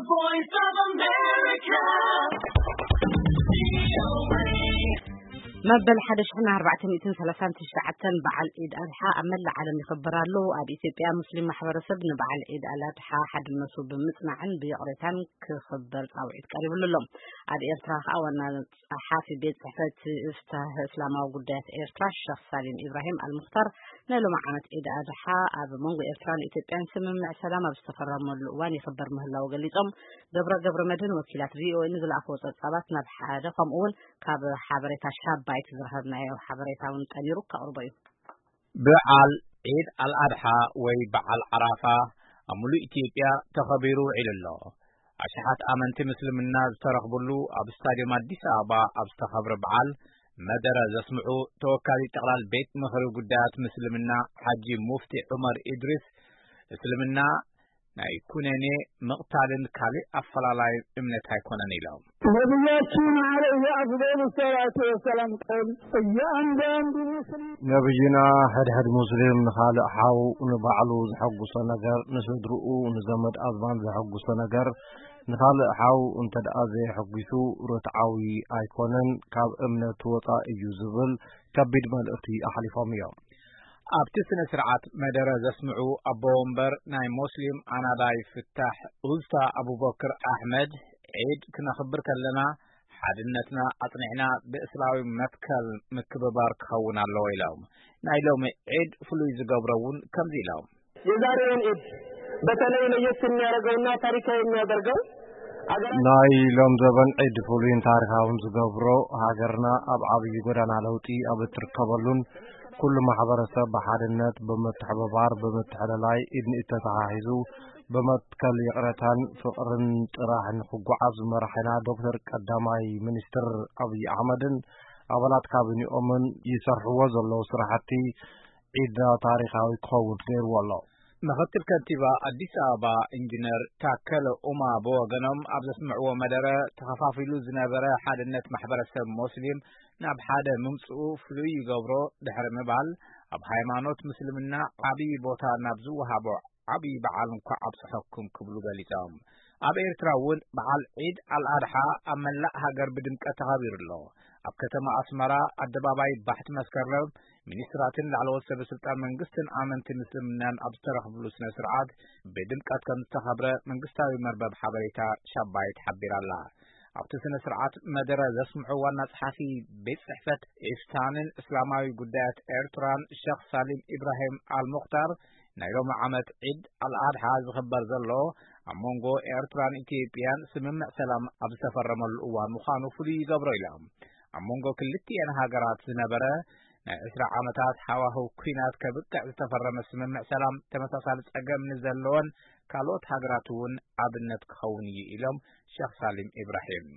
Voice of America. መበል ሓደ ሽሕን ኣርባዕተ ሚእትን ሰላሳን ትሽዓተን በዓል ዒድ ኣድሓ ኣብ መላእ ዓለም ይኽበር ኣሎ። ኣብ ኢትዮጵያ ሙስሊም ማሕበረሰብ ንበዓል ዒድ ኣል ኣድሓ ሓድነቱ ብምጽናዕን ብይቕሬታን ክኽበር ጻውዒት ቀሪብሉ ኣሎ። ኣብ ኤርትራ ከኣ ዋና ጸሓፊ ቤት ጽሕፈት ፍታህ እስላማዊ ጉዳያት ኤርትራ ሸኽ ሳሊም ኢብራሂም ኣልሙኽታር ናይ ሎሚ ዓመት ዒድ ኣድሓ ኣብ መንጎ ኤርትራን ኢትዮጵያን ስምምዕ ሰላም ኣብ ዝተፈረመሉ እዋን ይኽበር ምህላው ገሊጾም። ገብረ ገብረ መድህን ወኪላት ቪኦኤ ንዝለኣኽዎ ጸብጻባት ናብ ሓደ ከምኡ እውን ካብ ሓበሬታ ሻባይት ዝረኸብናዮ ሓበሬታ እውን ጠሚሩ ከቕርቦ እዩ። በዓል ዒድ ኣልኣድሓ ወይ በዓል ዓራፋ ኣብ ሙሉእ ኢትዮጵያ ተኸቢሩ ውዒሉ ኣሎ። ኣሽሓት ኣመንቲ ምስልምና ዝተረኽብሉ ኣብ ስታድዮም ኣዲስ ኣበባ ኣብ ዝተኸብረ በዓል መደረ ዘስምዑ ተወካሊ ጠቕላል ቤት ምኽሪ ጉዳያት ምስልምና ሓጂ ሙፍቲ ዑመር ኢድሪስ፣ እስልምና ናይ ኩነኔ ምቕታልን ካልእ ኣፈላላይ እምነት ኣይኮነን ኢሎም። ነቢያችን ዓለይሂ ኣፍዶሉ ሰላቱ ወሰላም ቀል እያንዳንዱ ሙስሊም ነቢይና ሕድሕድ ሙስሊም ንኻልእ ሓው ንባዕሉ ዘሐጉሶ ነገር፣ ንስድርኡ ንዘመድ ኣዝማድ ዘሐጉሶ ነገር ንኻልእ ሓው እንተ ደኣ ዘየሐጒሱ ርትዓዊ ኣይኮነን፣ ካብ እምነት ወጻኢ እዩ ዝብል ከቢድ መልእኽቲ ኣሕሊፎም እዮም። ኣብቲ ስነ ስርዓት መደረ ዘስምዑ ኣቦ ወንበር ናይ ሞስሊም ኣናዳይ ፍታሕ ኡዝታ ኣቡበክር ኣሕመድ፣ ዒድ ክነኽብር ከለና ሓድነትና ኣጽኒዕና ብእስላዊ መትከል ምክብባር ክኸውን ኣለዎ ኢሎም። ናይ ሎሚ ዒድ ፍሉይ ዝገብሮ እውን ከምዚ ኢሎም። የዛሬውን ዒድ በተለይ ለየት የሚያደርገውና ታሪካዊ የሚያደርገው አገራ ናይ ሎም ዘበን ዒድ ፍሉይን ታሪካውን ዝገብሮ ሃገርና ኣብ ዓብዪ ጎዳና ለውጢ ኣብ እትርከበሉን ኩሉ ማሕበረሰብ ብሓድነት ብምትሕብባር ብምትሕልላይ ኢድ ንኢድ ተተሓሒዙ ብመትከል ይቕረታን ፍቕርን ጥራሕ ንክጓዓዝ ዝመርሐና ዶክተር ቀዳማይ ሚኒስትር ኣብይ ኣሕመድን ኣባላት ካቢኒኦምን ይሰርሕዎ ዘለዉ ስራሕቲ ዒድና ታሪኻዊ ክኸውን ገይርዎ ኣሎ። ምኽትል ከንቲባ ኣዲስ ኣበባ ኢንጂነር ታከለ ኡማ ብወገኖም ኣብ ዘስምዕዎ መደረ፣ ተኸፋፊሉ ዝነበረ ሓድነት ማሕበረሰብ ሞስሊም ናብ ሓደ ምምፅኡ ፍሉይ ይገብሮ ድሕሪ ምባል፣ ኣብ ሃይማኖት ምስልምና ዓብዪ ቦታ ናብ ዝወሃቦ ዓብዪ በዓል እንኳዕ ኣብፀሐኩም ክብሉ ገሊፆም። ኣብ ኤርትራ እውን በዓል ዒድ ኣልኣድሓ ኣብ መላእ ሃገር ብድምቀት ተኸቢሩ ኣሎ። ኣብ ከተማ ኣስመራ ኣደባባይ ባሕቲ መስከረም ሚኒስትራትን ላዕለዎት ሰበ ስልጣን መንግስትን ኣመንቲ ምስልምናን ኣብ ዝተረኽብሉ ስነ ስርዓት ብድምቀት ከም ዝተኸብረ መንግስታዊ መርበብ ሓበሬታ ሻባይት ሓቢራ ኣላ። ኣብቲ ስነ ስርዓት መደረ ዘስምዑ ዋና ጸሓፊ ቤት ጽሕፈት ኢፍታንን እስላማዊ ጉዳያት ኤርትራን ሸኽ ሳሊም ኢብራሂም ኣልሙኽታር፣ ናይ ሎሚ ዓመት ዒድ ኣልኣድሓ ዝኽበር ዘሎ ኣብ መንጎ ኤርትራን ኢትዮጵያን ስምምዕ ሰላም ኣብ ዝተፈረመሉ እዋን ምዃኑ ፍሉይ ይገብሮ ኢሎም። ኣብ መንጎ ክልቲኤን ሃገራት ዝነበረ ናይ ዕስራ ዓመታት ሃዋህው ኲናት ከብቅዕ ዝተፈረመ ስምምዕ ሰላም፣ ተመሳሳሊ ጸገም ንዘለወን ካልኦት ሃገራት እውን ኣብነት ክኸውን እዩ ኢሎም ሸኽ ሳሊም ኢብራሂም።